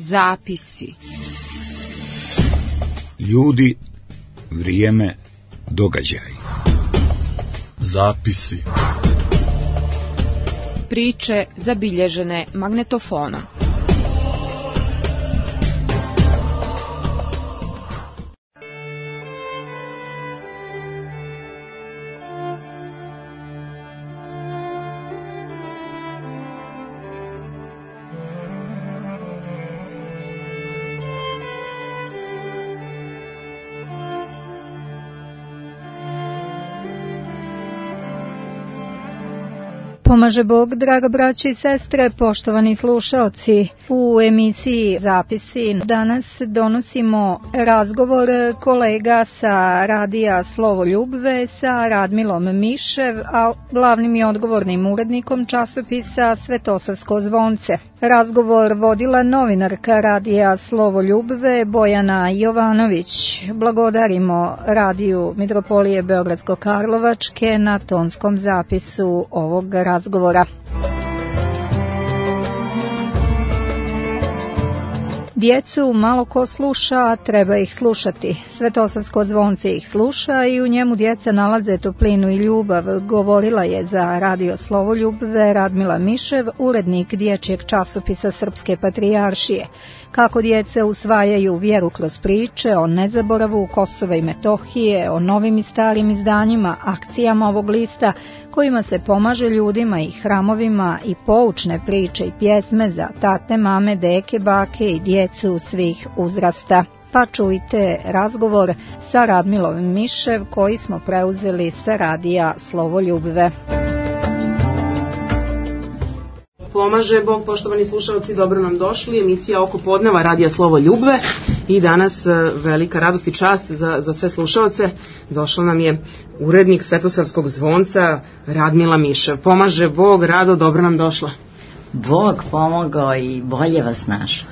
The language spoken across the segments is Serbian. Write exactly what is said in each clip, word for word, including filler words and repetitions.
Zapisi. Ljudi, vrijeme, događaj. Zapisi. Priče zabilježene magnetofonom. Pomaže Bog, draga braćo i sestre, poštovani slušaoci. U emisiji Zapisi danas donosimo razgovor kolega sa radija Slovo Ljubve sa Radmilom Mišev, a glavnim i odgovornim urednikom časopisa Svetosavsko zvonce. Razgovor vodila novinarka radija Slovo Ljubve Bojana Jovanović. Blagodarimo radiju Mitropolije Beogradsko-Karlovačke na tonskom zapisu ovog razgovora. Djecu malo ko sluša, treba ih slušati. Svetosavsko zvonce ih sluša i u njemu djeca nalaze toplinu i ljubav, govorila je za radio Slovo Ljubve Radmila Mišev, urednik dječjeg časopisa Srpske patrijaršije. Kako djeca usvajaju vjeru kroz priče o nezaboravu Kosova i Metohije, o novim i starim izdanjima, akcijama ovog lista, kojima se pomaže ljudima i hramovima, i poučne priče i pjesme za tate, mame, deke, bake i djecu svih uzrasta. Pa čujte razgovor sa Radmilom Mišev koji smo preuzeli sa radija Slovo Ljubve. Pomaže Bog, poštovani slušalci, dobro nam došli. Emisija oko podneva radija Slovo Ljubve i danas velika radost i čast za, za sve slušalce. Došla nam je urednik Svetosavskog zvonca Radmila Mišev. Pomaže Bog, Rado, dobro nam došla. Bog pomogao i bolje vas našla.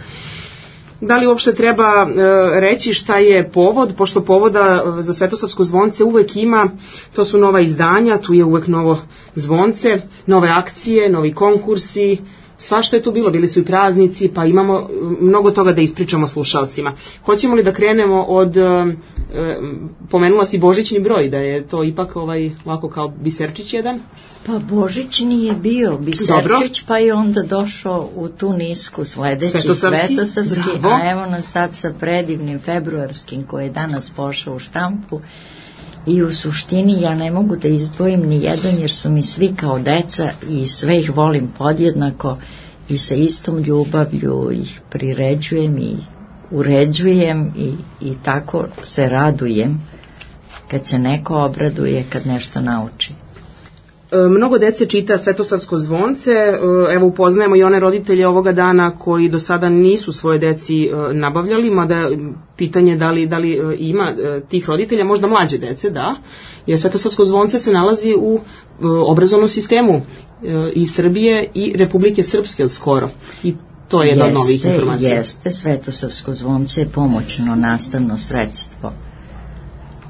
Da li uopšte treba e, reći šta je povod, pošto povoda za Svetosavsko zvonce uvek ima, to su nova izdanja, tu je uvek novo zvonce, nove akcije, novi konkursi, svašta je tu bilo, bili su i praznici, pa imamo mnogo toga da ispričamo slušalcima. Hoćemo li da krenemo od, e, pomenula si božićni broj, da je to ipak ovaj, ovako kao biserčić jedan? Pa božićni je bio biserčić, dobro, pa je onda došao u tu nisku sledeći Svetosavski, Svetosavski, a evo nas sad sa predivnim februarskim koji je danas pošao u štampu. I u suštini ja ne mogu da izdvojim ni jedan jer su mi svi kao deca i sve ih volim podjednako i sa istom ljubavlju ih priređujem i uređujem i, i tako se radujem kad se neko obraduje, kad nešto nauči. Mnogo dece čita Svetosavsko zvonce, evo upoznajemo i one roditelje ovoga dana koji do sada nisu svoje deci nabavljali, mada pitanje da li, da li ima tih roditelja, možda mlađe dece, da, jer Svetosavsko zvonce se nalazi u obrazovnom sistemu i Srbije i Republike Srpske skoro i to je jedna od novih informacija. Jeste, Svetosavsko zvonce je pomoćno nastavno sredstvo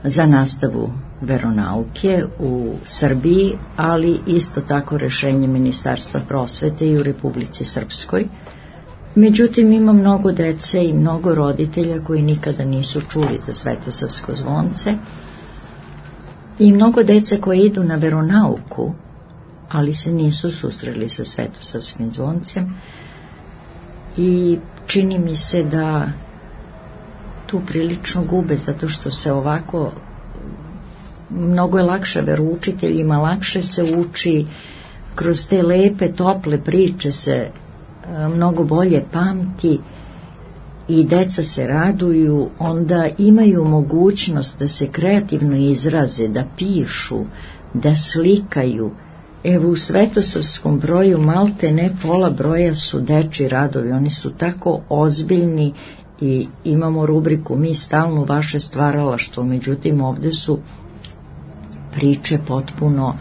za nastavu veronauke u Srbiji, ali isto tako rešenje Ministarstva prosvete i u Republici Srpskoj. Međutim, ima mnogo dece i mnogo roditelja koji nikada nisu čuli za Svetosavsko zvonce i mnogo dece koji idu na veronauku, ali se nisu susreli sa Svetosavskim zvoncem i čini mi se da tu prilično gube, zato što se ovako mnogo je lakše veroučiteljima, lakše se uči, kroz te lepe, tople priče se mnogo bolje pamti i deca se raduju, onda imaju mogućnost da se kreativno izraze, da pišu, da slikaju. Evo u Svetosavskom broju malte ne pola broja su dečji radovi, oni su tako ozbiljni i imamo rubriku mi stalno vaše stvaralaštvo, međutim ovde su priče potpuno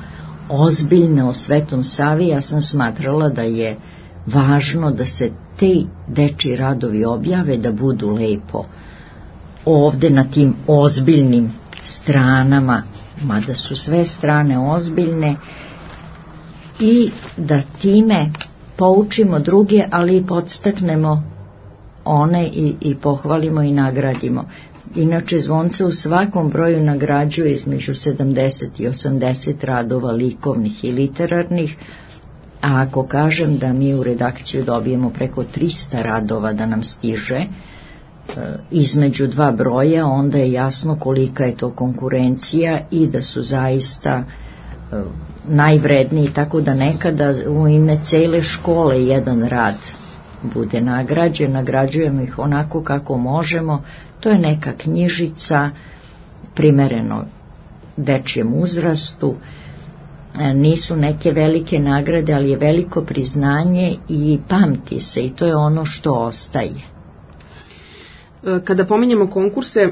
ozbiljne o Svetom Savi. Ja sam smatrala da je važno da se te dečji radovi objave, da budu lepo ovde na tim ozbiljnim stranama, mada su sve strane ozbiljne, i da time poučimo druge, ali i podstaknemo one i, i pohvalimo i nagradimo. Inače, zvonce u svakom broju nagrađuje između sedamdeset i osamdeset radova likovnih i literarnih, a ako kažem da mi u redakciju dobijemo preko trista radova da nam stiže e, između dva broja, onda je jasno kolika je to konkurencija i da su zaista e, najvredniji, tako da nekada u ime cele škole jedan rad bude nagrađen, nagrađujemo ih onako kako možemo. To je neka knjižica primereno dečijem uzrastu, nisu neke velike nagrade, ali je veliko priznanje i pamti se, i to je ono što ostaje. Kada pominjemo konkurse,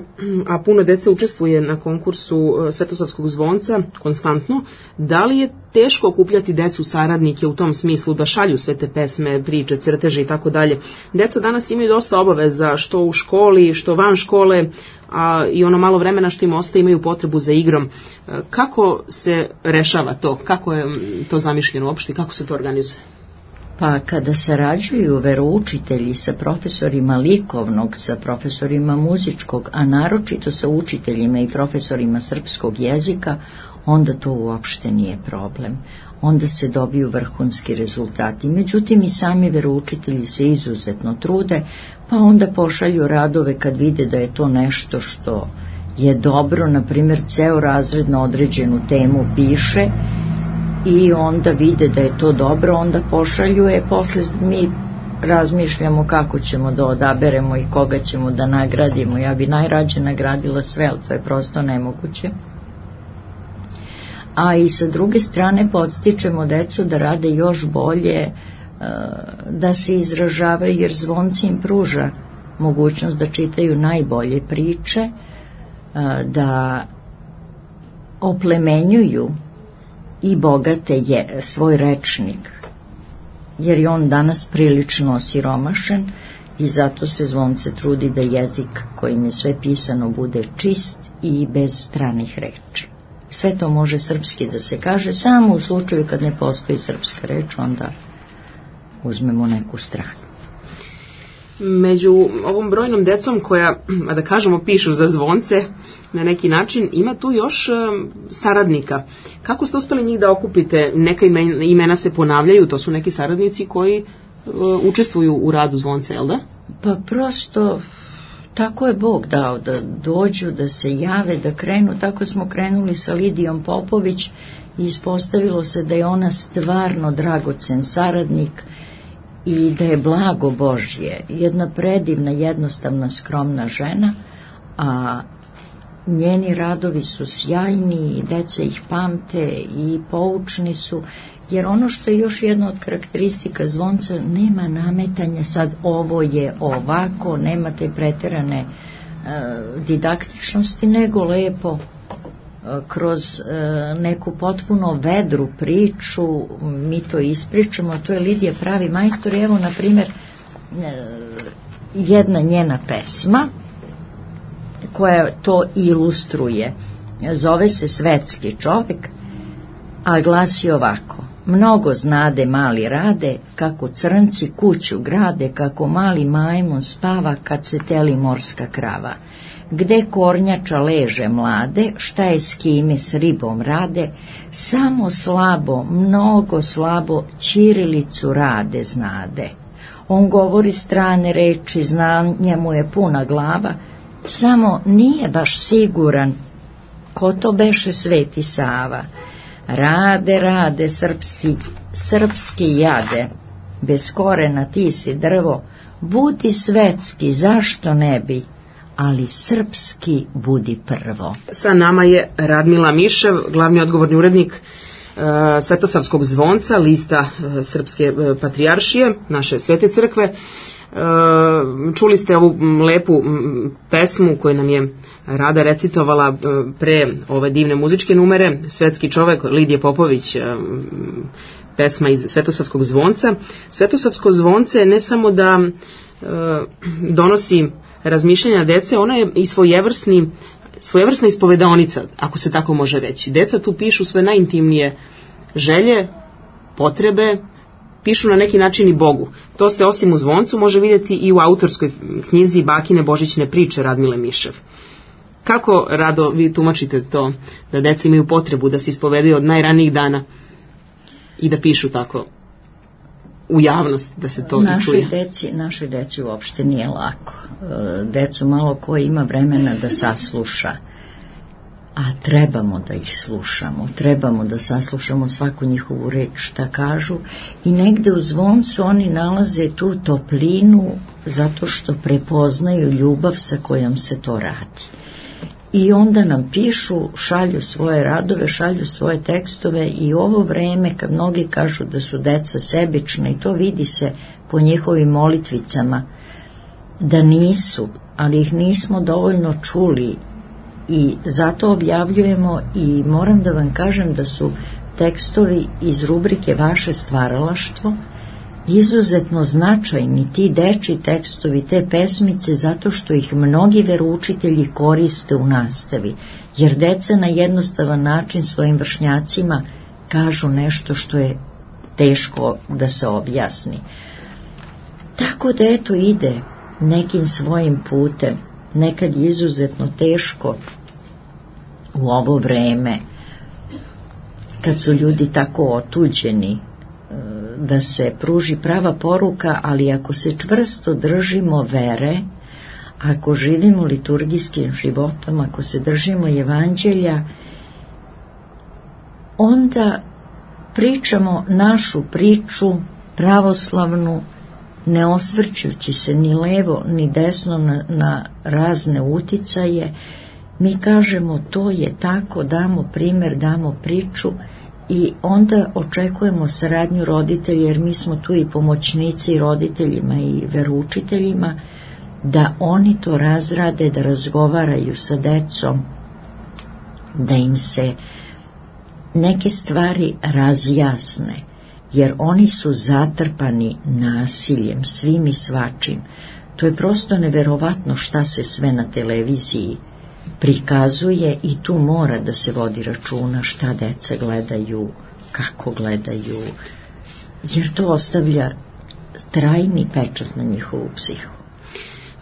a puno dece učestvuje na konkursu Svetosavskog zvonca konstantno, da li je teško okupljati decu saradnike u tom smislu da šalju sve te pesme, priče, crteže i tako dalje? Deca danas imaju dosta obaveza, što u školi, što van škole, a i ono malo vremena što im ostaje imaju potrebu za igrom. Kako se rešava to? Kako je to zamišljeno uopšte? Kako se to organizuje? Pa kada sarađuju veroučitelji sa profesorima likovnog, sa profesorima muzičkog, a naročito sa učiteljima i profesorima srpskog jezika, onda to uopšte nije problem. Onda se dobiju vrhunski rezultati. Međutim, i sami veroučitelji se izuzetno trude, pa onda pošalju radove kad vide da je to nešto što je dobro, na primjer ceo razred na određenu temu piše, i onda vide da je to dobro, onda pošalju, je posle mi razmišljamo kako ćemo da odaberemo i koga ćemo da nagradimo. Ja bi najrađe nagradila sve, ali to je prosto nemoguće. A i sa druge strane podstičemo decu da rade još bolje, da se izražavaju, jer zvonci im pruža mogućnost da čitaju najbolje priče, da oplemenjuju i bogate je svoj rečnik, jer je on danas prilično osiromašen, i zato se zvonce trudi da jezik kojim je sve pisano bude čist i bez stranih reči. Sve to može srpski da se kaže, samo u slučaju kad ne postoji srpska reč, onda uzmemo neku stranu. Među ovom brojnom decom koja, a da kažemo, pišu za zvonce na neki način, ima tu još saradnika. Kako ste uspeli njih da okupite? Neka imena se ponavljaju, to su neki saradnici koji učestvuju u radu zvonce, jel da? Pa prosto tako je Bog dao, da dođu, da se jave, da krenu. Tako smo krenuli sa Lidijom Popović i ispostavilo se da je ona stvarno dragocen saradnik i da je blago Božje, jedna predivna, jednostavna, skromna žena, a njeni radovi su sjajni i deca ih pamte i poučni su, jer ono što je još jedna od karakteristika zvonca, nema nametanja sad ovo je ovako, nema te preterane e, didaktičnosti, nego lepo kroz e, neku potpuno vedru priču mi to ispričamo. To je Lidija pravi majstor. Evo, na primjer, e, jedna njena pesma koja to ilustruje, zove se Svetski čovek, a glasi ovako: mnogo znade mali rade, kako crnci kuću grade, kako mali majmun spava kad se teli morska krava. Gde kornjača leže mlade, šta je s kime s ribom rade, samo slabo, mnogo slabo, ćirilicu rade znade. On govori strane reči, znanja mu je puna glava, samo nije baš siguran ko to beše Sveti Sava. Rade, rade, srpski, srpski jade, bez korena ti si drvo, budi svetski, zašto ne bi, ali srpski budi prvo. Sa nama je Radmila Mišev, glavni odgovorni urednik uh, Svetosavskog zvonca, lista uh, Srpske uh, patrijaršije, naše Svete crkve. Uh, čuli ste ovu lepu m, pesmu koju nam je Rada recitovala uh, pre ove divne muzičke numere, Svetski čovek, Lidije Popović, uh, pesma iz Svetosavskog zvonca. Svetosavsko zvonce ne samo da uh, donosi razmišljanja dece, ona je i svojevrsni, svojevrsna ispovedaonica, ako se tako može reći. Deca tu pišu sve najintimnije želje, potrebe pišu na neki način i Bogu. To se osim u Zvoncu može vidjeti i u autorskoj knjizi Bakine Božićne priče Radmile Mišev. Kako, Rado, vi tumačite to da deca imaju potrebu da se ispovedaju od najranijih dana i da pišu tako u javnost, da se to našoj i čuje? Deci, našoj deci uopšte nije lako. Decu malo ko ima vremena da sasluša, a trebamo da ih slušamo, trebamo da saslušamo svaku njihovu reč šta kažu i negde u Zvoncu oni nalaze tu toplinu zato što prepoznaju ljubav sa kojom se to radi. I onda nam pišu, šalju svoje radove, šalju svoje tekstove i ovo vreme kad mnogi kažu da su deca sebična i to vidi se po njihovim molitvicama, da nisu, ali ih nismo dovoljno čuli i zato objavljujemo i moram da vam kažem da su tekstovi iz rubrike Vaše stvaralaštvo izuzetno značajni, ti dečji tekstovi, te pesmice, zato što ih mnogi veroučitelji koriste u nastavi, jer deca na jednostavan način svojim vršnjacima kažu nešto što je teško da se objasni. Tako da eto ide nekim svojim putem, nekad je izuzetno teško u ovo vreme, kad su ljudi tako otuđeni, da se pruži prava poruka, ali ako se čvrsto držimo vere, ako živimo liturgijskim životom, ako se držimo evanđelja, onda pričamo našu priču pravoslavnu, ne osvrćući se ni levo ni desno na, na razne uticaje. Mi kažemo to je tako, damo primer, damo priču i onda očekujemo saradnju roditelja, jer mi smo tu i pomoćnici roditeljima i veroučiteljima, da oni to razrade, da razgovaraju sa decom, da im se neke stvari razjasne, jer oni su zatrpani nasiljem, svim i svačim. To je prosto neverovatno šta se sve na televiziji prikazuje i tu mora da se vodi računa šta deca gledaju, kako gledaju, jer to ostavlja trajni pečat na njihovu psihu.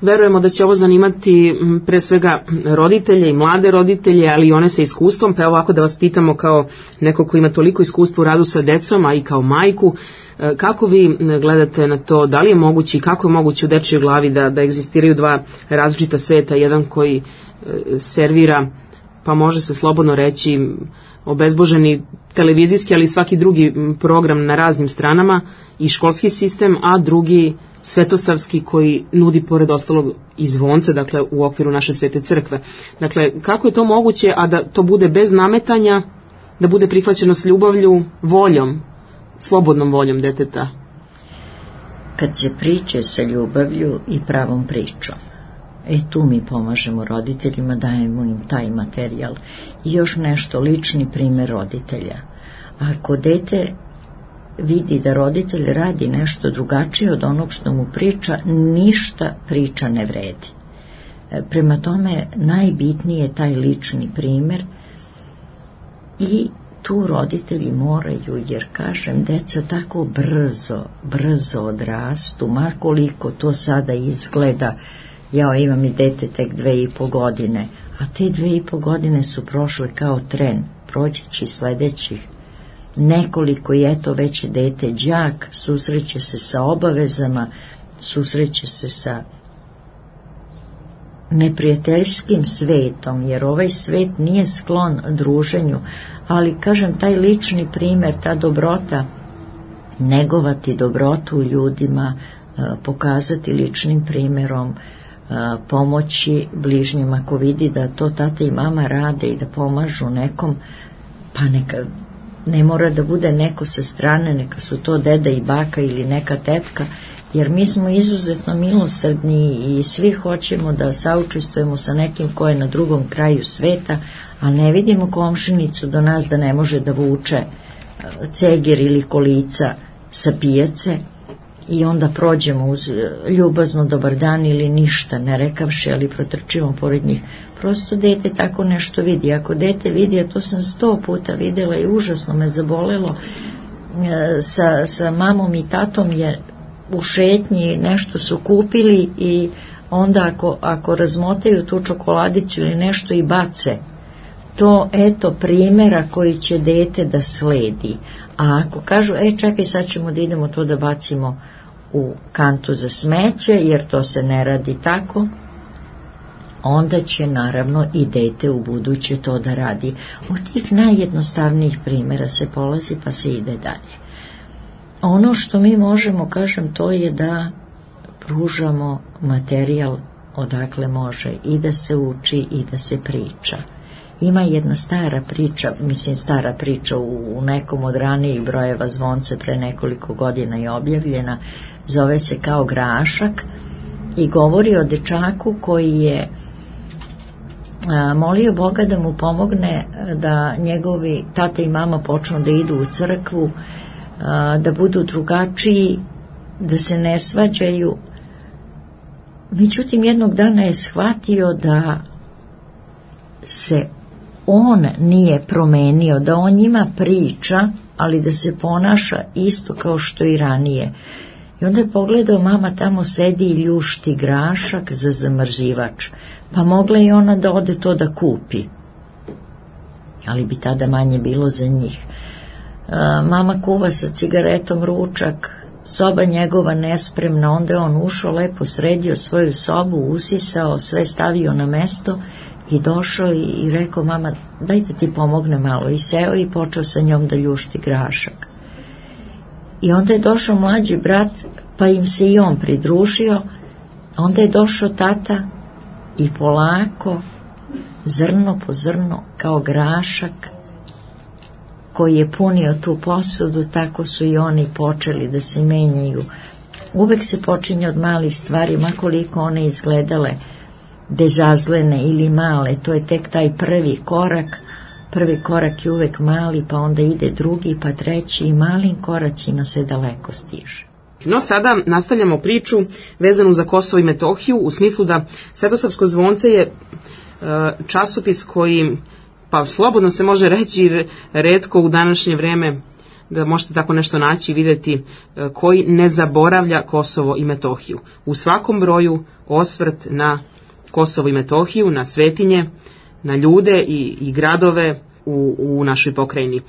Verujemo da će ovo zanimati pre svega roditelje i mlade roditelje, ali i one sa iskustvom, pa ovako da vas pitamo kao neko ko ima toliko iskustva u radu sa decom, a i kao majku, kako vi gledate na to, da li je moguće i kako je moguće u dečjoj glavi da, da egzistiraju dva različita sveta, jedan koji servira, pa može se slobodno reći, obezboženi televizijski, ali svaki drugi program na raznim stranama i školski sistem, a drugi svetosavski koji nudi pored ostalog i zvonce, dakle u okviru naše svete crkve. Dakle, kako je to moguće, a da to bude bez nametanja, da bude prihvaćeno s ljubavlju, voljom, slobodnom voljom deteta? Kad se priče sa ljubavlju i pravom pričom, e tu mi pomažemo roditeljima, dajemo im taj materijal. I još nešto, lični primer roditelja. Ako dete vidi da roditelj radi nešto drugačije od onog što mu priča, ništa priča ne vredi. Prema tome, najbitniji je taj lični primer i tu roditelji moraju, jer kažem, deca tako brzo, brzo odrastu, makoliko to sada izgleda. Ja imam i dete tek dve i po godine, a te dve i po godine su prošle kao tren, prođeći sledećih nekoliko i eto već dete đak, susreće se sa obavezama, susreće se sa neprijateljskim svetom, jer ovaj svet nije sklon druženju, ali kažem, taj lični primer, ta dobrota, negovati dobrotu u ljudima, pokazati ličnim primerom, pomoći bližnjima, ako vidi da to tata i mama rade i da pomažu nekom, pa neka, ne mora da bude neko sa strane, neka su to deda i baka ili neka tetka, jer mi smo izuzetno milosrdni i svi hoćemo da saučestvujemo sa nekim ko je na drugom kraju sveta, a ne vidimo komšinicu do nas da ne može da vuče cegir ili kolica sa pijace i onda prođemo uz ljubazno dobar dan ili ništa ne rekavši, ali protrčimo pored njih. Prosto dete tako nešto vidi. Ako dete vidi, a to sam sto puta videla i užasno me zabolelo, sa, sa mamom i tatom je u šetnji nešto su kupili i onda ako, ako razmotaju tu čokoladicu ili nešto i bace, to eto primjera koji će dete da sledi. A ako kažu, e čekaj sad ćemo da idemo to da bacimo u kantu za smeće, jer to se ne radi tako, onda će naravno i dete u buduće to da radi. Od tih najjednostavnijih primjera se polazi pa se ide dalje. Ono što mi možemo, kažem, to je da pružamo materijal odakle može i da se uči i da se priča. Ima jedna stara priča, mislim stara priča u nekom od ranijih brojeva Zvonce pre nekoliko godina je objavljena, zove se Kao grašak i govori o dečaku koji je a, molio Boga da mu pomogne da njegovi tata i mama počnu da idu u crkvu, a, da budu drugačiji, da se ne svađaju. Međutim, jednog dana je shvatio da se on nije promenio, da on njima priča, ali da se ponaša isto kao što i ranije. I onda je pogledao, mama tamo sedi i ljušti grašak za zamrzivač, pa mogla i ona da ode to da kupi, ali bi tada manje bilo za njih. A, mama kuva sa cigaretom ručak, soba njegova nespremna, onda je on ušao, lepo sredio svoju sobu, usisao, sve stavio na mesto i došao i, i rekao, mama, dajte ti pomogne malo, i seo i počeo sa njom da ljušti grašak. I onda je došao mlađi brat, pa im se i on pridružio, onda je došao tata i polako, zrno po zrno, kao grašak koji je punio tu posudu, tako su i oni počeli da se menjaju. Uvek se počinje od malih stvari, makoliko one izgledale bezazlene ili male, to je tek taj prvi korak. Prvi korak je uvek mali, pa onda ide drugi, pa treći, i malim koracima se daleko stiže. No sada nastavljamo priču vezanu za Kosovo i Metohiju, u smislu da Svetosavsko zvonce je časopis koji, pa slobodno se može reći, retko u današnje vreme da možete tako nešto naći i vidjeti, koji ne zaboravlja Kosovo i Metohiju. U svakom broju osvrt na Kosovo i Metohiju, na svetinje, na ljude i, i gradove u, u našoj pokrajini. E,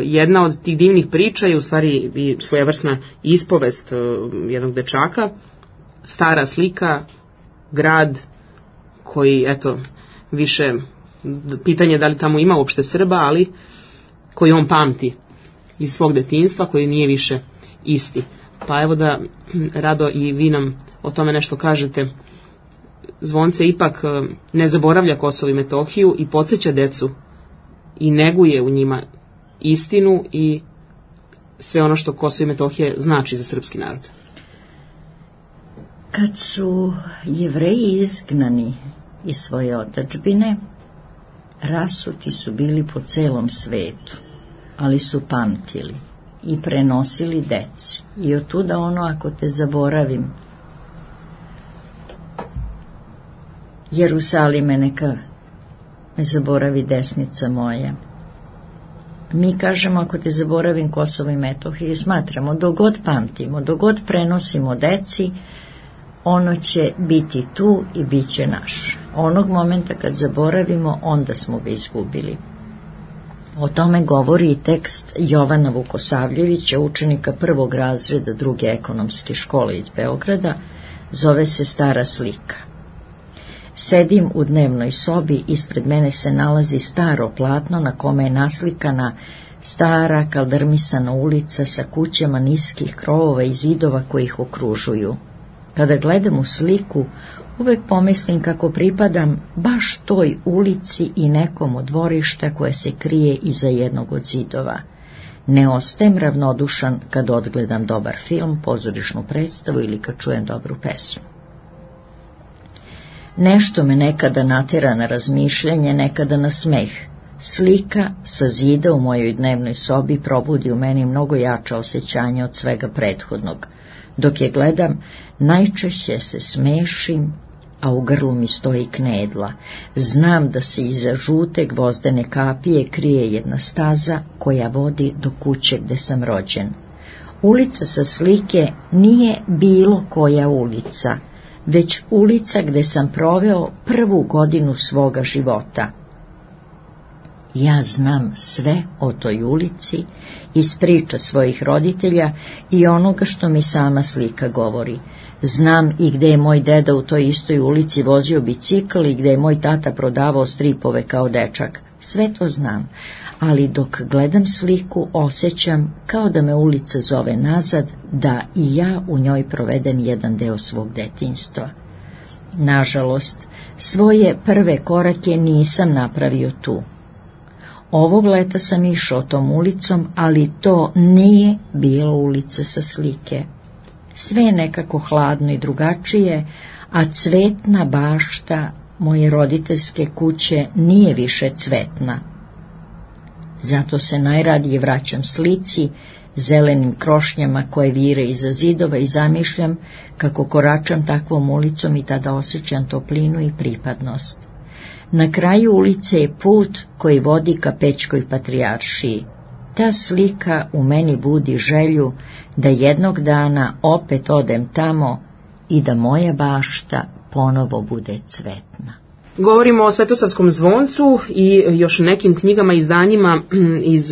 jedna od tih divnih priča je u stvari i svojevrsna ispovest e, jednog dečaka, stara slika, grad koji, eto, više pitanje da li tamo ima uopšte Srba, ali koji on pamti iz svog detinjstva, koji nije više isti. Pa evo da, Rado, i vi nam o tome nešto kažete. Zvonce ipak ne zaboravlja Kosovo i Metohiju i podsjeća decu i neguje u njima istinu i sve ono što Kosovo i Metohija znači za srpski narod. Kad su Jevreji izgnani iz svoje otadžbine, rasuti su bili po celom svetu, ali su pamtili i prenosili deci. I otuda ono, ako te zaboravim, Jerusalime, neka me zaboravi desnica moja. Mi kažemo, ako te zaboravim Kosovo i Metohiju, smatramo, dogod pamtimo, dogod prenosimo deci, ono će biti tu i bit će naš. Onog momenta kad zaboravimo, onda smo ga izgubili. O tome govori i tekst Jovana Vukosavljevića, učenika prvog razreda druge ekonomske škole iz Beograda, zove se Stara slika. Sedim u dnevnoj sobi, ispred mene se nalazi staro platno na kome je naslikana stara kaldrmisana ulica sa kućama niskih krovova i zidova koji ih okružuju. Kada gledam u sliku, uvek pomislim kako pripadam baš toj ulici i nekom od dvorišta koje se krije iza jednog od zidova. Ne ostajem ravnodušan kad odgledam dobar film, pozorišnu predstavu ili kad čujem dobru pesmu. Nešto me nekada natera na razmišljanje, nekada na smeh. Slika sa zida u mojoj dnevnoj sobi probudi u meni mnogo jača osjećanja od svega prethodnog. Dok je gledam, najčešće se smešim a u grlu mi stoji knedla. Znam da se iza žute gvozdene kapije krije jedna staza koja vodi do kuće gde sam rođen. Ulica sa slike nije bilo koja ulica, već ulica gde sam proveo prvu godinu svoga života. Ja znam sve o toj ulici iz priča svojih roditelja i onoga što mi sama slika govori. Znam i gde je moj deda u toj istoj ulici vozio bicikl i gde je moj tata prodavao stripove kao dečak. Sve to znam, ali dok gledam sliku osjećam kao da me ulica zove nazad, da i ja u njoj provedem jedan deo svog detinjstva. Nažalost, svoje prve korake nisam napravio tu. Ovog leta sam išao tom ulicom, ali to nije bila ulica sa slike. Sve je nekako hladno i drugačije, a cvetna bašta moje roditeljske kuće nije više cvetna. Zato se najradije vraćam slici, zelenim krošnjama koje vire iza zidova i zamišljam kako koračam takvom ulicom i tada osjećam toplinu i pripadnost. Na kraju ulice je put koji vodi ka Pećkoj patrijaršiji. Ta slika u meni budi želju da jednog dana opet odem tamo i da moja bašta ponovo bude cvetna. Govorimo o Svetosavskom zvoncu i još nekim knjigama i izdanjima iz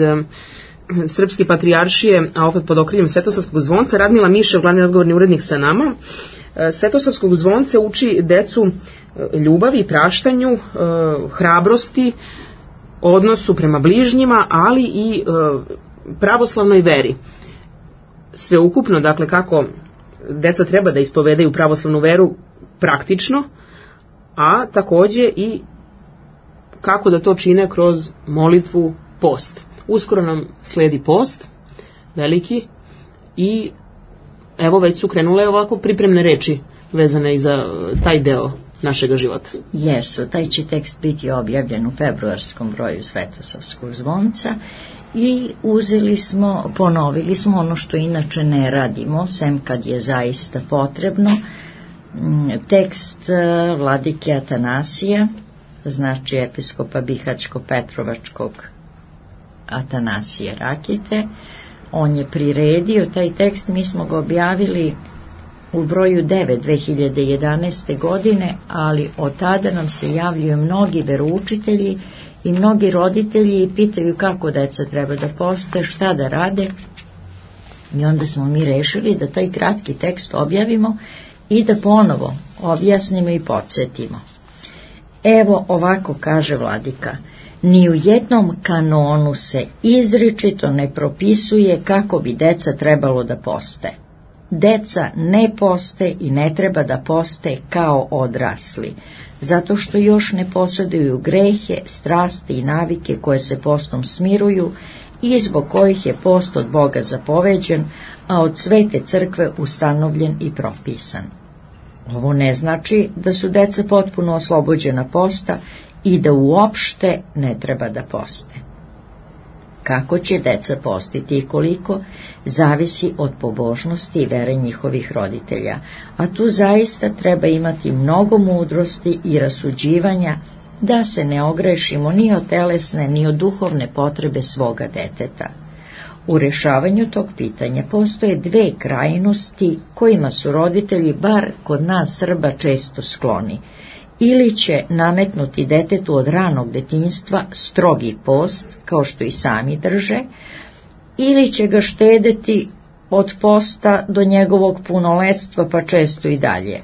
Srpske patrijaršije, a opet pod okriljem Svetosavskog zvonca. Radmila Mišev, glavni odgovorni urednik sa nama. Svetosavskog zvonce uči decu ljubavi, praštanju, hrabrosti, odnosu prema bližnjima, ali i pravoslavnoj veri. Sveukupno, dakle, kako deca treba da ispovedaju pravoslavnu veru praktično, a takođe i kako da to čine kroz molitvu, post. Uskoro nam sledi post, veliki, i evo već su krenule ovako pripremne reči vezane i za taj deo našega života. Jesu, taj će tekst biti objavljen u februarskom broju Svetosavskog zvonca i uzeli smo, ponovili smo ono što inače ne radimo, sem kad je zaista potrebno, tekst vladike Atanasija, znači episkopa Bihaćko-Petrovačkog Atanasije Rakite. On je priredio taj tekst, mi smo ga objavili u broju devet dve hiljade jedanaeste. godine, ali od tada nam se javljaju mnogi veroučitelji i mnogi roditelji i pitaju kako deca treba da poste, šta da rade. I onda smo mi rešili da taj kratki tekst objavimo i da ponovo objasnimo i podsjetimo. Evo ovako kaže vladika: ni u jednom kanonu se izričito ne propisuje kako bi deca trebalo da poste. Deca ne poste i ne treba da poste kao odrasli, zato što još ne posjeduju grehe, strasti i navike koje se postom smiruju i zbog kojih je post od Boga zapoveđen, a od Svete crkve ustanovljen i propisan. Ovo ne znači da su deca potpuno oslobođena posta i da uopšte ne treba da poste. Kako će deca postiti i koliko, zavisi od pobožnosti i vere njihovih roditelja, a tu zaista treba imati mnogo mudrosti i rasuđivanja da se ne ogrešimo ni od telesne ni od duhovne potrebe svoga deteta. U rešavanju tog pitanja postoje dve krajnosti kojima su roditelji, bar kod nas Srba, često skloni. Ili će nametnuti detetu od ranog detinjstva strogi post, kao što i sami drže, ili će ga štedeti od posta do njegovog punoletstva, pa često i dalje.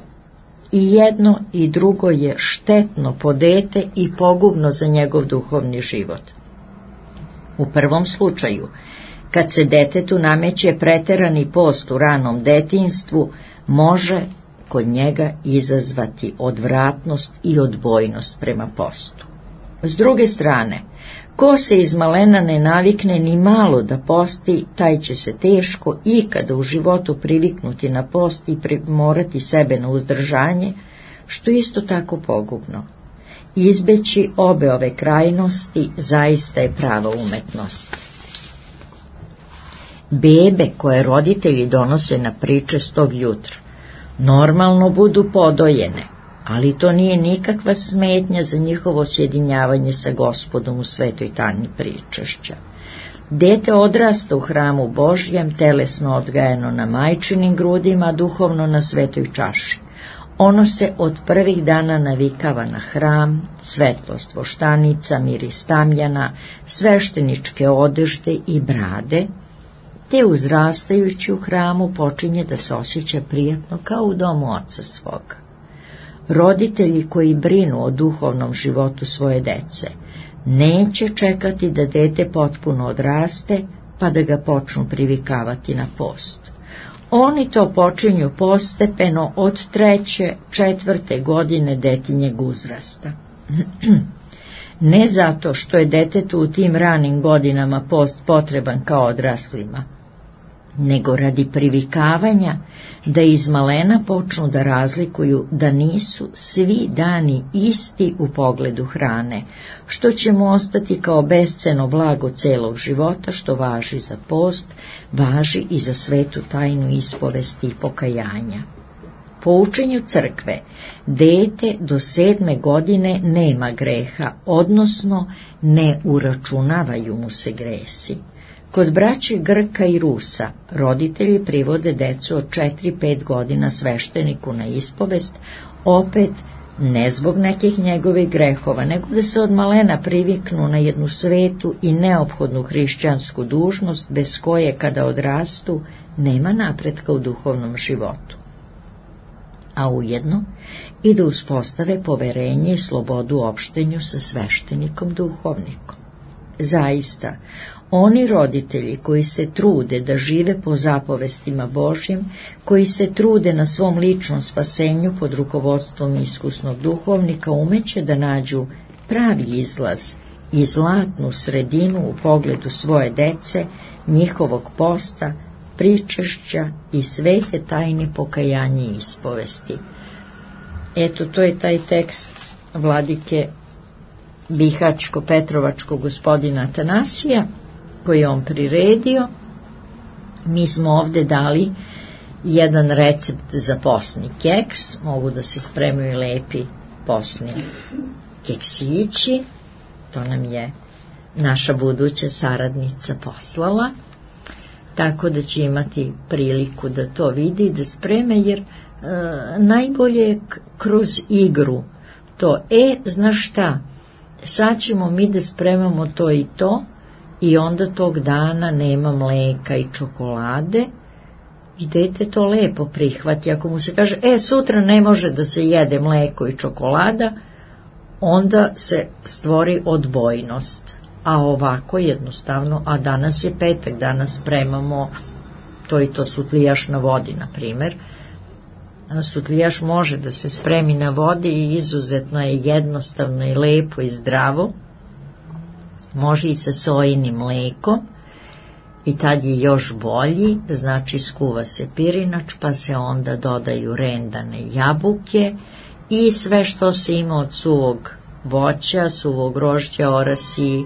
I jedno i drugo je štetno po dete i pogubno za njegov duhovni život. U prvom slučaju, kad se detetu nameće preterani post u ranom detinjstvu, može kod njega izazvati odvratnost i odbojnost prema postu. S druge strane, ko se iz malena ne navikne ni malo da posti, taj će se teško ikada u životu priviknuti na post i primorati sebe na uzdržanje, što isto tako pogubno. Izbeći obe ove krajnosti zaista je prava umetnost. Bebe koje roditelji donose na priče stog jutra normalno budu podojene, ali to nije nikakva smetnja za njihovo sjedinjavanje sa Gospodom u svetoj tajni pričašća. Dete odrasta u hramu Božjem, telesno odgajano na majčinim grudima, a duhovno na svetoj čaši. Ono se od prvih dana navikava na hram, svetlost voštanica, miris tamjana, svešteničke odežde i brade, te uzrastajući u hramu počinje da se osjeća prijatno kao u domu oca svoga. Roditelji koji brinu o duhovnom životu svoje dece neće čekati da dete potpuno odraste pa da ga počnu privikavati na post. Oni to počinju postepeno od treće, četvrte godine detinjeg uzrasta. Ne zato što je detetu u tim ranim godinama post potreban kao odraslima, nego radi privikavanja da iz malena počnu da razlikuju da nisu svi dani isti u pogledu hrane, što će mu ostati kao besceno blago celog života, što važi za post, važi i za svetu tajnu ispovesti i pokajanja. Po učenju crkve, dete do sedme godine nema greha, odnosno ne uračunavaju mu se gresi. Kod braće Grka i Rusa roditelji privode decu od četiri pet godina svešteniku na ispovest, opet ne zbog nekih njegovih grehova, nego da se od malena priviknu na jednu svetu i neophodnu hrišćansku dužnost, bez koje kada odrastu nema napretka u duhovnom životu. A ujedno i da uspostave poverenje i slobodu u opštenju sa sveštenikom duhovnikom. Zaista, oni roditelji koji se trude da žive po zapovestima Božjim, koji se trude na svom ličnom spasenju pod rukovodstvom iskusnog duhovnika, umeće da nađu pravi izlaz i zlatnu sredinu u pogledu svoje dece, njihovog posta, pričašća i svete tajne pokajanja i ispovesti. Eto, to je taj tekst vladike Bihačko-Petrovačkog gospodina Atanasija, koji je on priredio. Mi smo ovde dali jedan recept za posni keks, mogu da se spremaju lepi posni keksići, to nam je naša buduća saradnica poslala, tako da će imati priliku da to vidi i da spreme, jer e, najbolje je kroz igru to, e, znaš šta, sad ćemo mi da spremamo to i to, i onda tog dana nema mleka i čokolade i dete to lepo prihvati. Ako mu se kaže, e, sutra ne može da se jede mleko i čokolada, onda se stvori odbojnost. A ovako jednostavno, a danas je petak, danas spremamo to i to sutlijaš na vodi, na primer. Sutlijaš može da se spremi na vodi i izuzetno je jednostavno i lepo i zdravo. Može i sa sojinim mlekom i tad je još bolji, znači skuva se pirinač, pa se onda dodaju rendane jabuke i sve što se ima od suvog voća, suvog grožđa, orasi,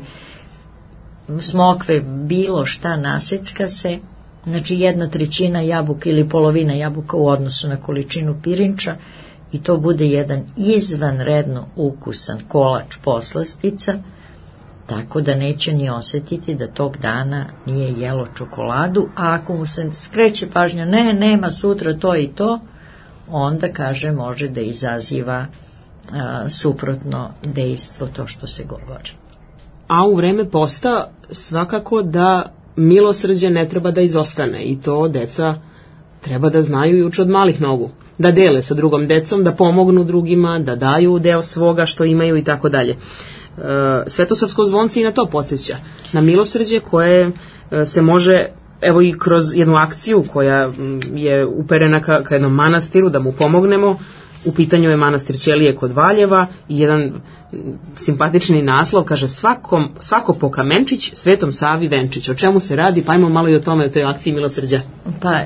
smokve, bilo šta nasecka se, znači jedna trećina jabuka ili polovina jabuka u odnosu na količinu pirinča i to bude jedan izvanredno ukusan kolač poslastica, tako da neće ni osjetiti da tog dana nije jelo čokoladu, a ako mu se skreće pažnja, ne, nema sutra to i to, onda, kaže, može da izaziva a, suprotno dejstvo to što se govori. A u vreme posta svakako da milosrđe ne treba da izostane i to deca treba da znaju još od malih nogu, da dele sa drugom decom, da pomognu drugima, da daju deo svoga što imaju i tako dalje. Svetosavsko zvonce i na to podsjeća, na milosrđe koje se može, evo i kroz jednu akciju koja je uperena ka, ka jednom manastiru da mu pomognemo. U pitanju je manastir Ćelije kod Valjeva i jedan simpatični naslov, kaže svakom, svako po kamenčić, Svetom Savi venčić. O čemu se radi? Pa ajmo malo i o tome, o toj akciji milosrđa. Pa,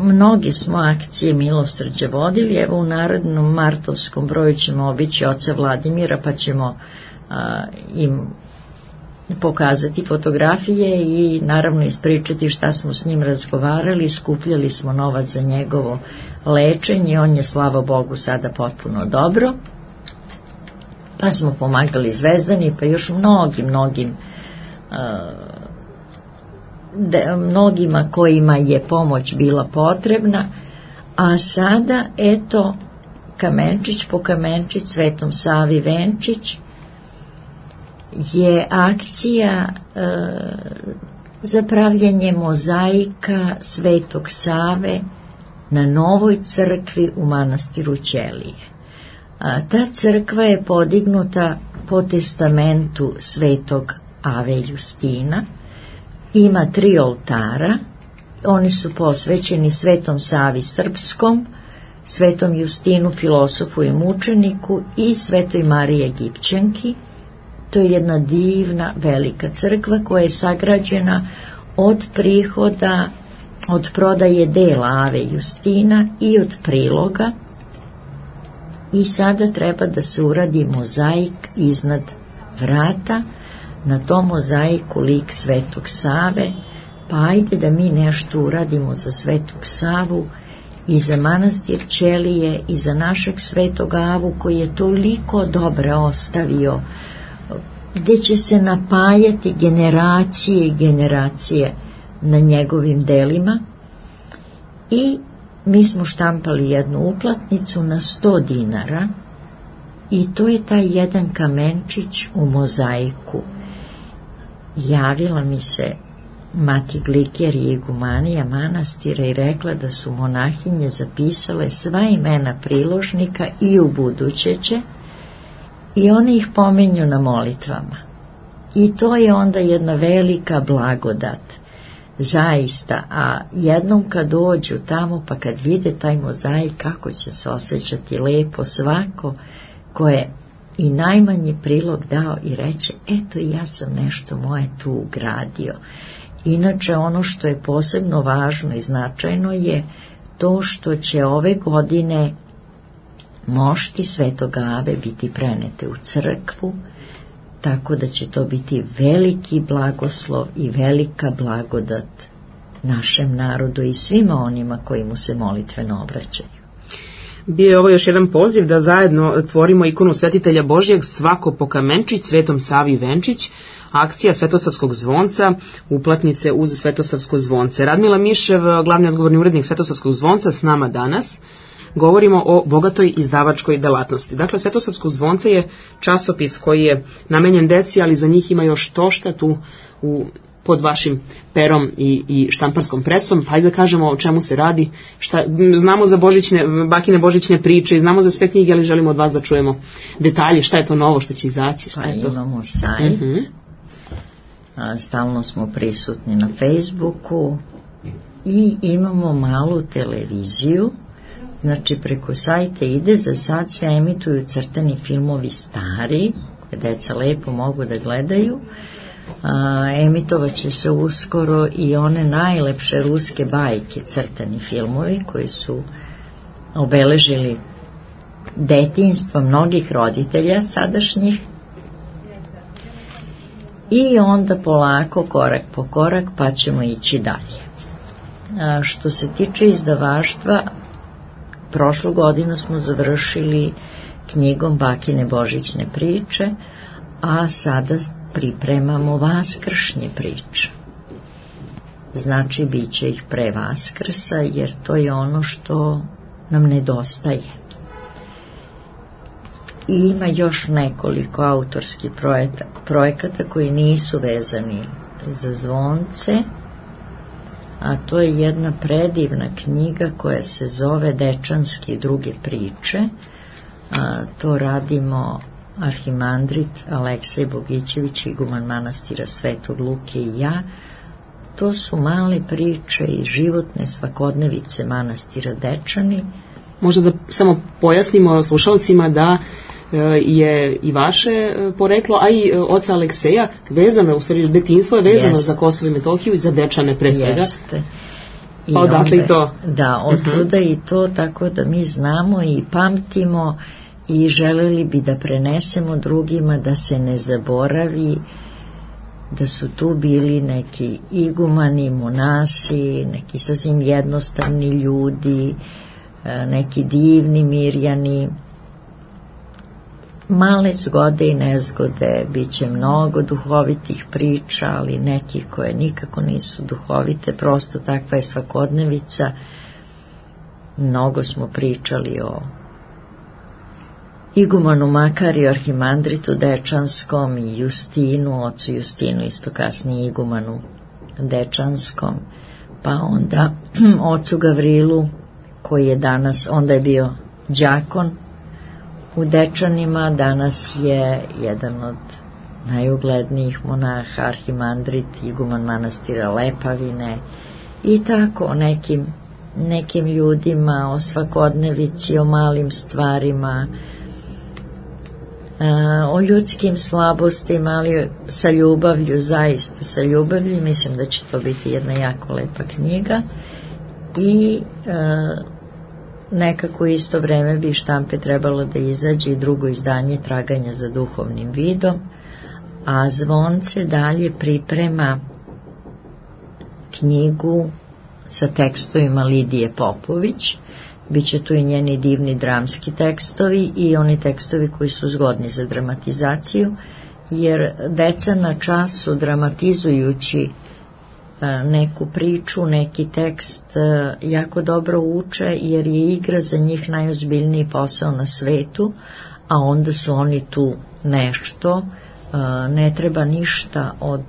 mnoge smo akcije milosrđa vodili, evo u narednom martovskom broju ćemo obići oca Vladimira, pa ćemo a, im pokazati fotografije i naravno ispričati šta smo s njim razgovarali. Skupljali smo novac za njegovo lečenje, on je slava Bogu sada potpuno dobro, pa smo pomagali Zvezdani, pa još mnogim mnogim uh, de, mnogima kojima je pomoć bila potrebna. A sada eto kamenčić po kamenčić, Svetom Savi venčić je akcija e, za pravljanje mozaika Svetog Save na novoj crkvi u manastiru Ćelije. A, ta crkva je podignuta po testamentu Svetog Ave Justina, ima tri oltara, oni su posvećeni Svetom Savi Srpskom, Svetom Justinu filosofu i mučeniku i Svetoj Mariji Egipćanki. To je jedna divna velika crkva koja je sagrađena od prihoda, od prodaje dela Ave Justina i od priloga, i sada treba da se uradi mozaik iznad vrata, na tom mozaiku lik Svetog Save, pa ajde da mi nešto uradimo za Svetog Savu i za manastir Ćelije i za našeg Svetog Avu koji je toliko dobro ostavio, gdje će se napajati generacije i generacije na njegovim delima. I mi smo štampali jednu uplatnicu na sto dinara i to je taj jedan kamenčić u mozaiku. Javila mi se mati Gliker i igumanija manastira i rekla da su monahinje zapisale sva imena priložnika i u buduće će, i one ih pominju na molitvama. I to je onda jedna velika blagodat, zaista. A jednom kad dođu tamo pa kad vide taj mozaik, kako će se osjećati lepo svako ko je i najmanji prilog dao i reće, eto ja sam nešto moje tu ugradio. Inače ono što je posebno važno i značajno je to što će ove godine mošti Svetog Ave biti prenete u crkvu, tako da će to biti veliki blagoslov i velika blagodat našem narodu i svima onima koji mu se molitveno obraćaju. Bio je ovo još jedan poziv da zajedno tvorimo ikonu Svetitelja Božjeg, svako po kamenčić, Svetom Savi venčić, akcija Svetosavskog zvonca, uplatnice uz Svetosavsko zvonce. Radmila Mišev, glavni odgovorni urednik Svetosavskog zvonca, s nama danas. Govorimo o bogatoj izdavačkoj delatnosti. Dakle, Svetosavsko zvonce je časopis koji je namenjen deci, ali za njih ima još tošta tu u, pod vašim perom i, i štamparskom presom. Hajde da kažemo o čemu se radi. Šta, znamo za božićne, bakine božićne priče, znamo za sve knjige, ali želimo od vas da čujemo detalje. Šta je to novo što će izaći? Šta pa je to? Imamo sajt. Uh-huh. A, stalno smo prisutni na Facebooku i imamo malu televiziju. Znači preko sajta ide, za sad se emituju crtani filmovi stari, koje deca lepo mogu da gledaju. A, emitovat će se uskoro i one najlepše ruske bajke, crtani filmovi koji su obeležili detinjstvo mnogih roditelja sadašnjih. I onda polako, korak po korak, pa ćemo ići dalje. A, što se tiče izdavaštva, prošlu godinu smo završili knjigom Bakine božićne priče, a sada pripremamo vaskršnje priče. Znači, bit će ih pre Vaskrsa, jer to je ono što nam nedostaje. I ima još nekoliko autorskih projekata koji nisu vezani za zvonce, a to je jedna predivna knjiga koja se zove Dečanske i druge priče. A, to radimo arhimandrit Aleksej Bogićević, iguman manastira Svetog Luke i ja. To su male priče i životne svakodnevice manastira Dečani. Možda da samo pojasnimo slušalcima da je i vaše poreklo, a i oca Alekseja vezano, u stvari detinjstvo je vezano Jest. za Kosovo i Metohiju i za Dečane pre svega. Jeste. I pa odatle i to. Da, otuda uh-huh. i to, tako da mi znamo i pamtimo i želeli bi da prenesemo drugima da se ne zaboravi da su tu bili neki igumani, monasi, neki sasvim jednostavni ljudi, neki divni Mirjani. Male zgode i nezgode, bit će mnogo duhovitih priča, ali nekih koje nikako nisu duhovite, prosto takva je svakodnevica. Mnogo smo pričali o igumanu Makariju, arhimandritu Dečanskom i Justinu, ocu Justinu, isto kasnije igumanu Dečanskom, pa onda ocu Gavrilu, koji je danas, onda je bio đakon u Dečanima, danas je jedan od najuglednijih monaha, arhimandrit, iguman manastira Lepavine, i tako o nekim, nekim ljudima, o svakodnevici, o malim stvarima, o ljudskim slabostima, ali sa ljubavlju, zaista sa ljubavlju. Mislim da će to biti jedna jako lepa knjiga i nekako isto vreme bi štampe trebalo da izađe i drugo izdanje Traganja za duhovnim vidom, a Zvonce dalje priprema knjigu sa tekstovima Lidije Popović. Biće tu i njeni divni dramski tekstovi i oni tekstovi koji su zgodni za dramatizaciju, jer deca na času dramatizujući neku priču, neki tekst jako dobro uče, jer je igra za njih najozbiljniji posao na svetu, a onda su oni tu nešto, ne treba ništa od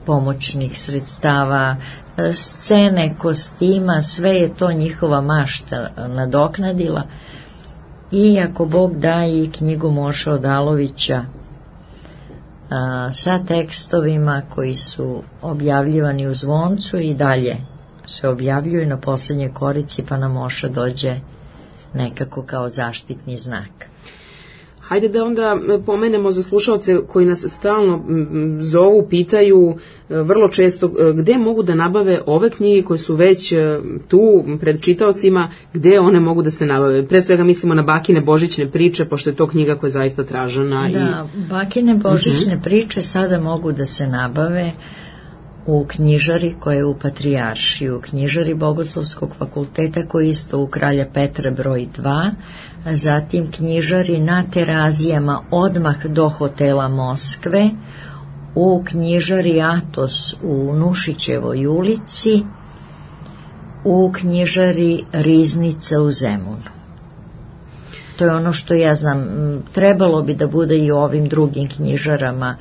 pomoćnih sredstava, scene, kostima, sve je to njihova mašta nadoknadila. I ako Bog da i knjigu Moše Odalovića a, sa tekstovima koji su objavljivani u Zvoncu i dalje se objavljuju na posljednjoj korici, pa nam Moša dođe nekako kao zaštitni znak. Hajde da onda pomenemo za slušalce koji nas stalno zovu, pitaju vrlo često gde mogu da nabave ove knjige koje su već tu pred čitaocima, gde one mogu da se nabave. Pre svega mislimo na Bakine božićne priče, pošto je to knjiga koja je zaista tražena. Da, i... Bakine božićne uh-huh. priče sada mogu da se nabave u knjižari koja je u Patrijaršiji, u knjižari Bogoslovskog fakulteta koji je isto u Kralja Petra broj dva, zatim knjižari na Terazijama odmah do hotela Moskve, u knjižari Atos u Nušićevoj ulici, u knjižari Riznica u Zemunu. To je ono što ja znam. Trebalo bi da bude i u ovim drugim knjižarama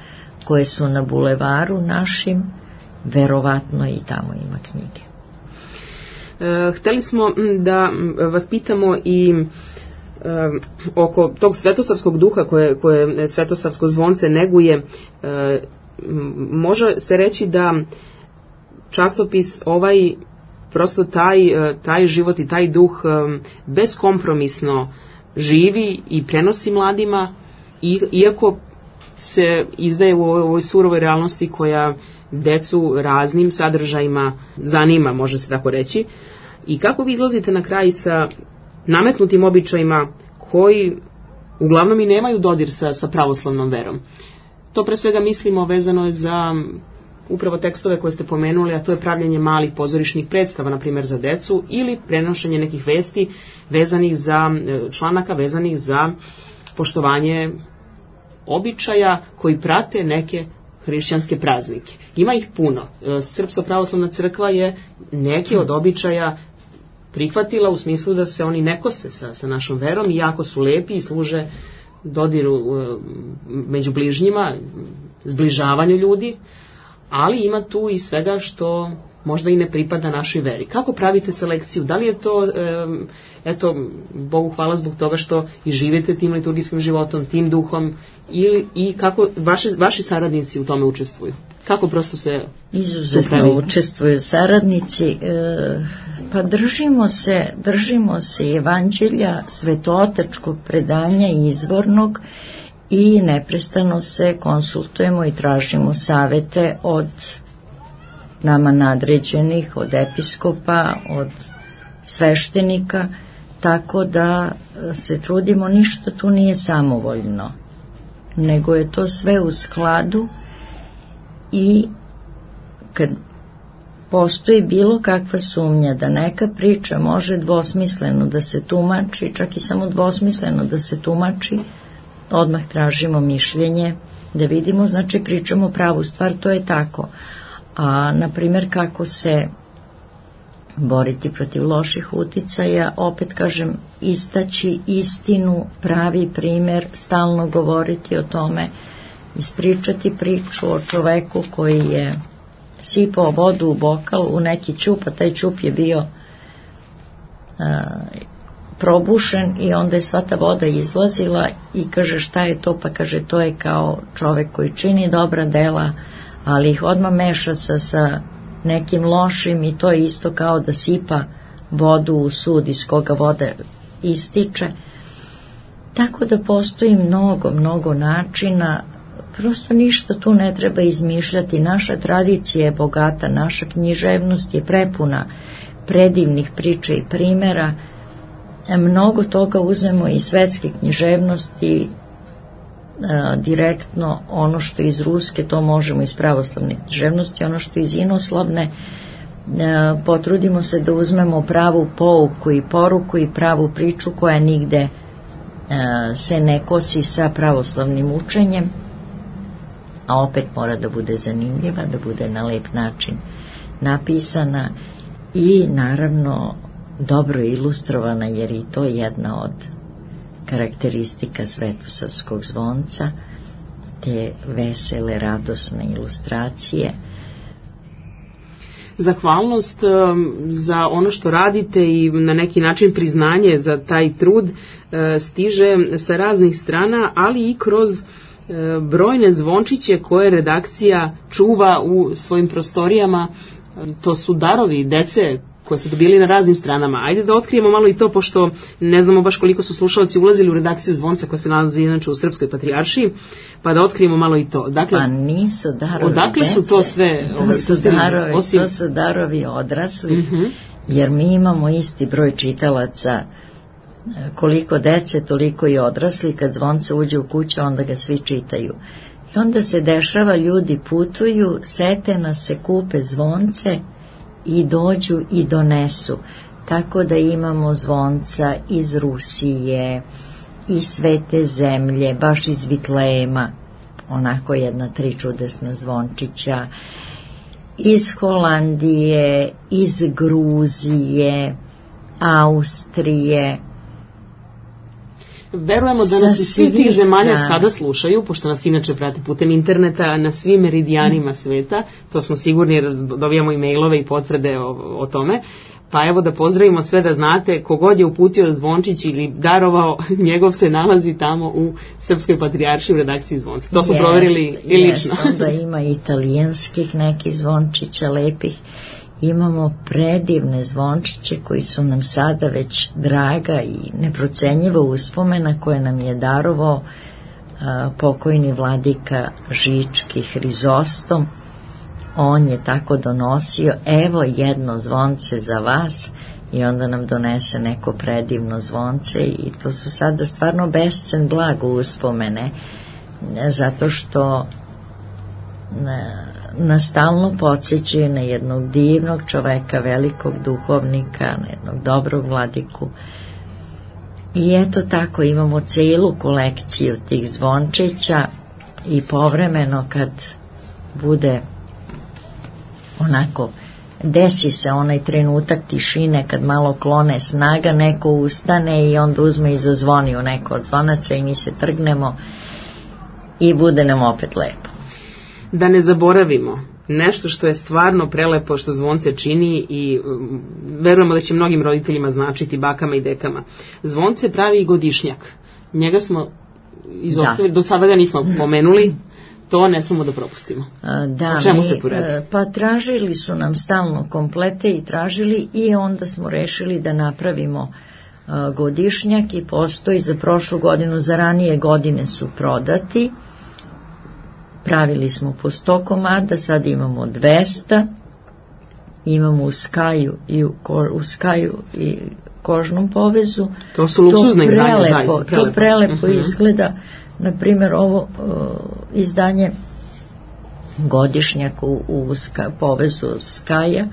koje su na bulevaru našim, verovatno i tamo ima knjige. E, hteli smo da vas pitamo i e, oko tog svetosavskog duha koje, koje Svetosavsko zvonce neguje. E, može se reći da časopis ovaj, prosto taj, taj život i taj duh beskompromisno živi i prenosi mladima, iako se izdaje u ovoj surovoj realnosti koja decu raznim sadržajima zanima, može se tako reći. I kako vi izlazite na kraj sa nametnutim običajima koji uglavnom i nemaju dodir sa, sa pravoslavnom verom? To pre svega mislimo vezano je za upravo tekstove koje ste pomenuli, a to je pravljenje malih pozorišnih predstava, na primjer za decu, ili prenošenje nekih vesti vezanih za članaka, vezanih za poštovanje običaja koji prate neke hrišćanske praznike. Ima ih puno. Srpska pravoslavna crkva je neke od običaja prihvatila u smislu da se oni ne kose sa, sa našom verom i jako su lepi i služe dodiru među bližnjima, zbližavanju ljudi, ali ima tu i svega što možda i ne pripada našoj veri. Kako pravite selekciju? Da li je to, eto, Bogu hvala zbog toga što i živite tim liturgijskim životom, tim duhom, ili, i kako vaši, vaši saradnici u tome učestvuju? Kako prosto se... Izuzetno učestvuju saradnici, e, pa držimo se, držimo se evanđelja, svetootačkog predanja izvornog i neprestano se konsultujemo i tražimo savete od nama nadređenih, od episkopa, od sveštenika, tako da se trudimo, ništa tu nije samovoljno, nego je to sve u skladu i kad postoji bilo kakva sumnja da neka priča može dvosmisleno da se tumači, čak i samo dvosmisleno da se tumači, odmah tražimo mišljenje, da vidimo, znači pričamo pravu stvar, to je tako. A, na primjer, kako se boriti protiv loših uticaja, opet kažem, istaći istinu, pravi primjer, stalno govoriti o tome, ispričati priču o čoveku koji je sipao vodu u bokal, u neki ćup, a taj ćup je bio a, probušen i onda je sva ta voda izlazila i kaže šta je to, pa kaže to je kao čovek koji čini dobra dela, ali ih odmah meša sa, sa nekim lošim i to je isto kao da sipa vodu u sud iz koga voda ističe. Tako da postoji mnogo, mnogo načina, prosto ništa tu ne treba izmišljati. Naša tradicija je bogata, naša književnost je prepuna predivnih priča i primjera. Mnogo toga uzmemo iz svetske književnosti, a, direktno ono što iz ruske, to možemo iz pravoslavne književnosti, ono što iz inoslavne, a, potrudimo se da uzmemo pravu pouku i poruku i pravu priču koja nigde a, se ne kosi sa pravoslavnim učenjem, a opet mora da bude zanimljiva, da bude na lep način napisana i naravno dobro ilustrovana, jer i to je jedna od karakteristika Svetosavskog zvonca, te vesele, radosne ilustracije. Zahvalnost za ono što radite i na neki način priznanje za taj trud stiže sa raznih strana, ali i kroz brojne zvončiće koje redakcija čuva u svojim prostorijama. To su darovi dece koje ste dobili na raznim stranama. Ajde da otkrijemo malo i to, pošto ne znamo baš koliko su slušalci ulazili u redakciju zvonca koja se nalazi inače u Srpskoj patrijaršiji, pa da otkrijemo malo i to. Dakle, pa nisu darovi odakle dece, su to sve? To, ovaj, su, darovi, osim... to su darovi odrasli, uh-huh. Jer mi imamo isti broj čitalaca, koliko dece, toliko i odrasli. Kad zvonce uđe u kuću, onda ga svi čitaju. I onda se dešava, ljudi putuju, sete nas, se kupe zvonce i dođu i donesu. Tako da imamo zvonca iz Rusije, iz Svete zemlje, baš iz Vitlejema, onako jedna tri čudesna zvončića, iz Holandije, iz Gruzije, Austrije. Verujemo da nas iz svih tih zemalja sada slušaju, pošto nas inače prati putem interneta na svim meridijanima sveta, to smo sigurni jer dobijamo i mailove i potvrde o, o tome, pa evo da pozdravimo sve, da znate, kogod je uputio zvončić ili darovao, njegov se nalazi tamo u Srpskoj patrijaršiji u redakciji zvonca. To smo yes, proverili i lično. Yes, onda ima italijanskih nekih zvončića lepih. Imamo predivne zvončiće koji su nam sada već draga i neprocenjiva uspomena koje nam je darovao a, pokojni vladika Žički Hrizostom. On je tako donosio, evo jedno zvonce za vas, i onda nam donese neko predivno zvonce i to su sada stvarno bescen blago uspomene, zato što nas stalno podsjećaju na jednog divnog čoveka, velikog duhovnika, na jednog dobrog vladiku. I eto tako imamo celu kolekciju tih zvončića i povremeno kad bude onako, desi se onaj trenutak tišine kad malo klone snaga, neko ustane i onda uzme i zazvoni u neko od zvonaca i mi se trgnemo i bude nam opet lepo. Da ne zaboravimo nešto što je stvarno prelepo što zvonce čini i um, verujemo da će mnogim roditeljima značiti, bakama i dekama. Zvonce pravi i godišnjak. Njega smo izostavili, do sada ga nismo pomenuli, to ne smemo da propustimo. Da, o čemu mi, se tu radi? Pa tražili su nam stalno komplete i tražili i onda smo rešili da napravimo uh, godišnjak i postoji za prošlu godinu, za ranije godine su prodati. Pravili smo po sto komada, sad imamo dvesta, imamo u skaju i u, ko, u skaju i kožnom povezu. To su luksuzne izdanje, zaista prelepo. To prelepo uh-huh. izgleda. Na primjer, ovo uh, izdanje godišnjak u, u ska, povezu Skaja,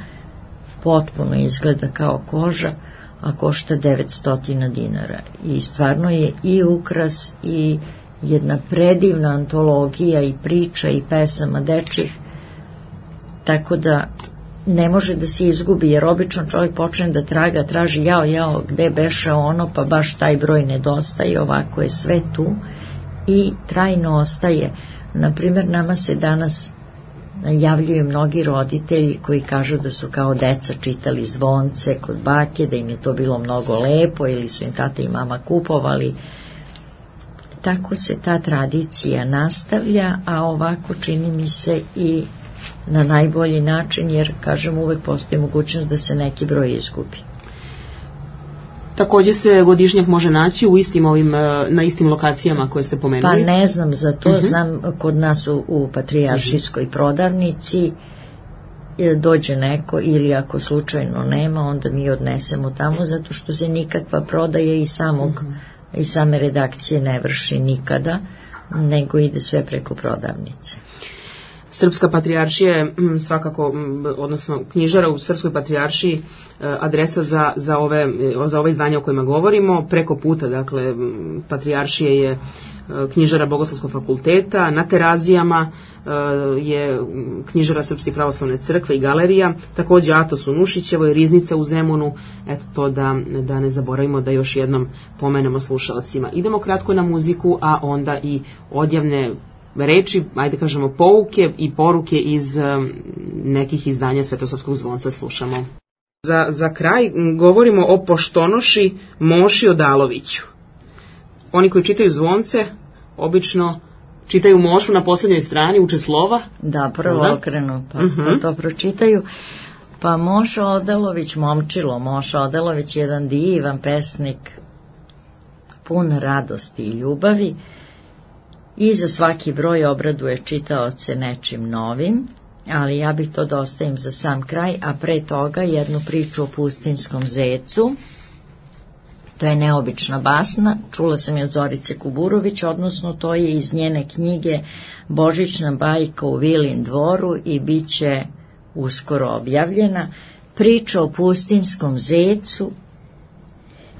potpuno izgleda kao koža, a košta devetsto dinara. I stvarno je i ukras i jedna predivna antologija i priča i pesama dečih, tako da ne može da se izgubi, jer obično čovjek počne da traga, traži jao, jao, gde beše ono, pa baš taj broj nedostaje. Ovako je sve tu i trajno ostaje. Naprimjer, nama se danas javljaju mnogi roditelji koji kažu da su kao deca čitali zvonce kod bake, da im je to bilo mnogo lepo ili su im tata i mama kupovali. Tako se ta tradicija nastavlja, a ovako čini mi se i na najbolji način, jer, kažem, uvek postoji mogućnost da se neki broj izgubi. Takođe se godišnjak može naći u istim ovim, na istim lokacijama koje ste pomenuli? Pa ne znam za to, uh-huh. znam kod nas u, u Patrijaršijskoj uh-huh. prodavnici dođe neko, ili ako slučajno nema, onda mi odnesemo tamo, zato što se nikakva prodaja i samog uh-huh. i same redakcije ne vrši nikada, nego ide sve preko prodavnice. Srpska patrijaršija je svakako, odnosno knjižara u Srpskoj patrijaršiji, adresa za, za, ove, za ove izdanja o kojima govorimo. Preko puta, dakle, patrijaršije je knjižara Bogoslovskog fakulteta, na Terazijama je knjižara Srpske pravoslavne crkve i galerija, takođe Atos u Nušićevoj, Riznica u Zemunu, eto to da, da ne zaboravimo da još jednom pomenemo slušalcima. Idemo kratko na muziku, a onda i odjavne reči, ajde kažemo pouke i poruke iz um, nekih izdanja Svetosavskog zvonca slušamo. Za, za kraj govorimo o Poštonoši Moši Odaloviću. Oni koji čitaju zvonce obično čitaju Mošu na poslednjoj strani, uče slova. Da, prvo da? okrenu, pa, uh-huh. pa to pročitaju. Pa Moša Odalović, momčilo, Moša Odalović je jedan divan pesnik, pun radosti i ljubavi. I za svaki broj obraduje čitaoce nečim novim, ali ja bih to da ostavim za sam kraj, a pre toga jednu priču o pustinskom zecu. To je neobična basna, čula sam je od Zorice Kuburović, odnosno to je iz njene knjige Božićna bajka u Vilin dvoru i bit će uskoro objavljena. Priča o pustinskom zecu.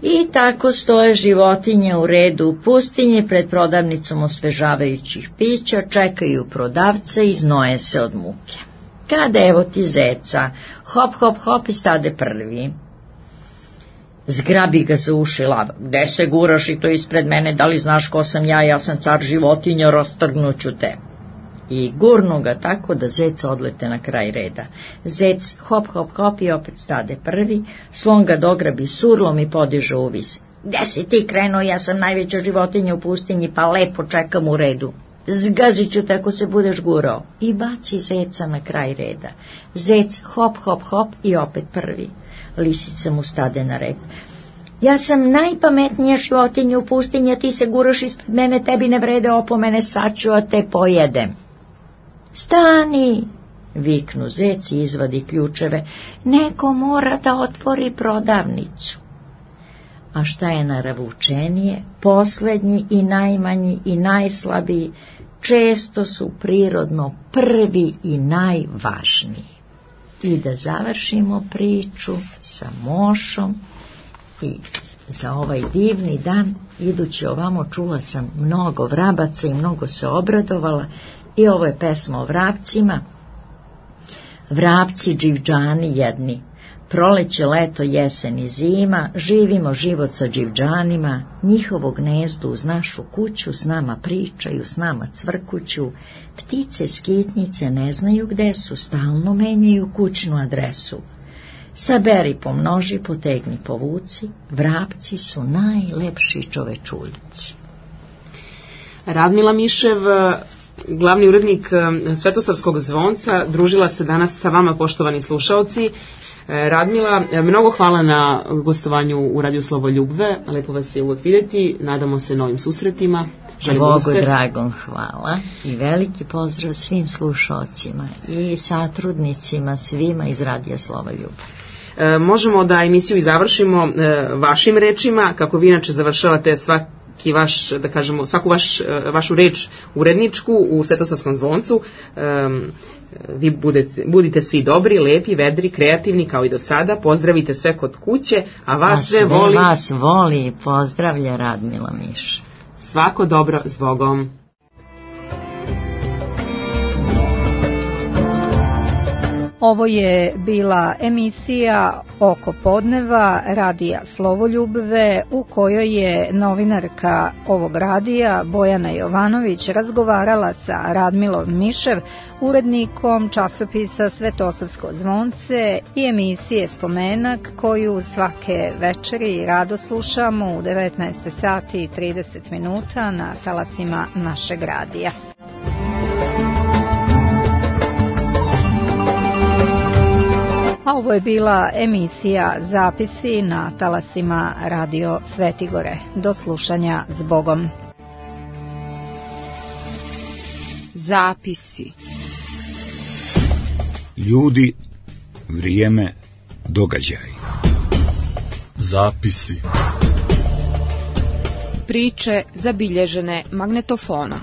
I tako stoje životinje u redu u pustinji pred prodavnicom osvežavajućih pića, čekaju prodavca i znoje se od muke. Kada evo ti zeca, hop, hop, hop i stade prvi. Zgrabi ga za uši lava. Gde se guraš i to ispred mene, da li znaš ko sam ja, ja sam car životinja, rastrgnuću te. I gurnu ga tako da zeca odlete na kraj reda. Zec hop, hop, hop i opet stade prvi, slon ga dograbi surlom i podiže uvis. Gde si ti krenuo, ja sam najveća životinja u pustinji, pa lepo čekam u redu. Zgazit ću te ako se budeš gurao. I baci zeca na kraj reda. Zec hop, hop, hop i opet prvi. Lisica mu stade na rep. Ja sam najpametnija životinja u pustinji, a ti se guraš ispred mene, tebi ne vrede opomene, sad ću a te pojedem. Stani, viknu zec i izvadi ključeve, neko mora da otvori prodavnicu. A šta je naravučenije, poslednji i najmanji i najslabiji često su prirodno prvi i najvažniji. I da završimo priču sa Mošom i za ovaj divni dan, idući ovamo čula sam mnogo vrabaca i mnogo se obradovala. I ovo je pesma o vrapcima. Vrapci dživđani jedni, proleće, leto, jesen i zima, živimo život sa dživđanima, njihovo gnezdo uz našu kuću, s nama pričaju, s nama cvrkuću, ptice skitnice ne znaju gde su, stalno menjaju kućnu adresu. Saberi, pomnoži, potegni, povuci, vrapci su najlepši čovečuljci. Radmila Mišev, glavni urednik Svetosavskog zvonca, družila se danas sa vama, poštovani slušaoci. Radmila, mnogo hvala na gostovanju u Radiju Slovoljubve, lepo vas je uvek vidjeti, nadamo se novim susretima. Bogu dragom hvala i veliki pozdrav svim slušaocima i satrudnicima svima iz Radija Slovoljubve. E, možemo da emisiju i završimo e, vašim rečima, kako vi inače završavate sva, svaki vaš, da kažemo, svaku vaš, vašu reč uredničku u Svetosavskom zvoncu. Um, vi budete, budite svi dobri, lepi, vedri, kreativni kao i do sada. Pozdravite sve kod kuće, a vas a sve voli. vas voli i pozdravlja Radmila Miš. Svako dobro, zbogom. Ovo je bila emisija Oko podneva radija Slovoljubve u kojoj je novinarka ovog radija Bojana Jovanović razgovarala sa Radmilom Mišev, urednikom časopisa Svetosavsko zvonce i emisije Spomenak koju svake večeri rado slušamo u devetnaest sati i trideset minuta na talasima našeg radija. A ovo je bila emisija Zapisi na talasima Radio Svetigore. Do slušanja, zbogom. Zapisi. Ljudi, vrijeme, događaj. Zapisi. Priče zabilježene magnetofonom.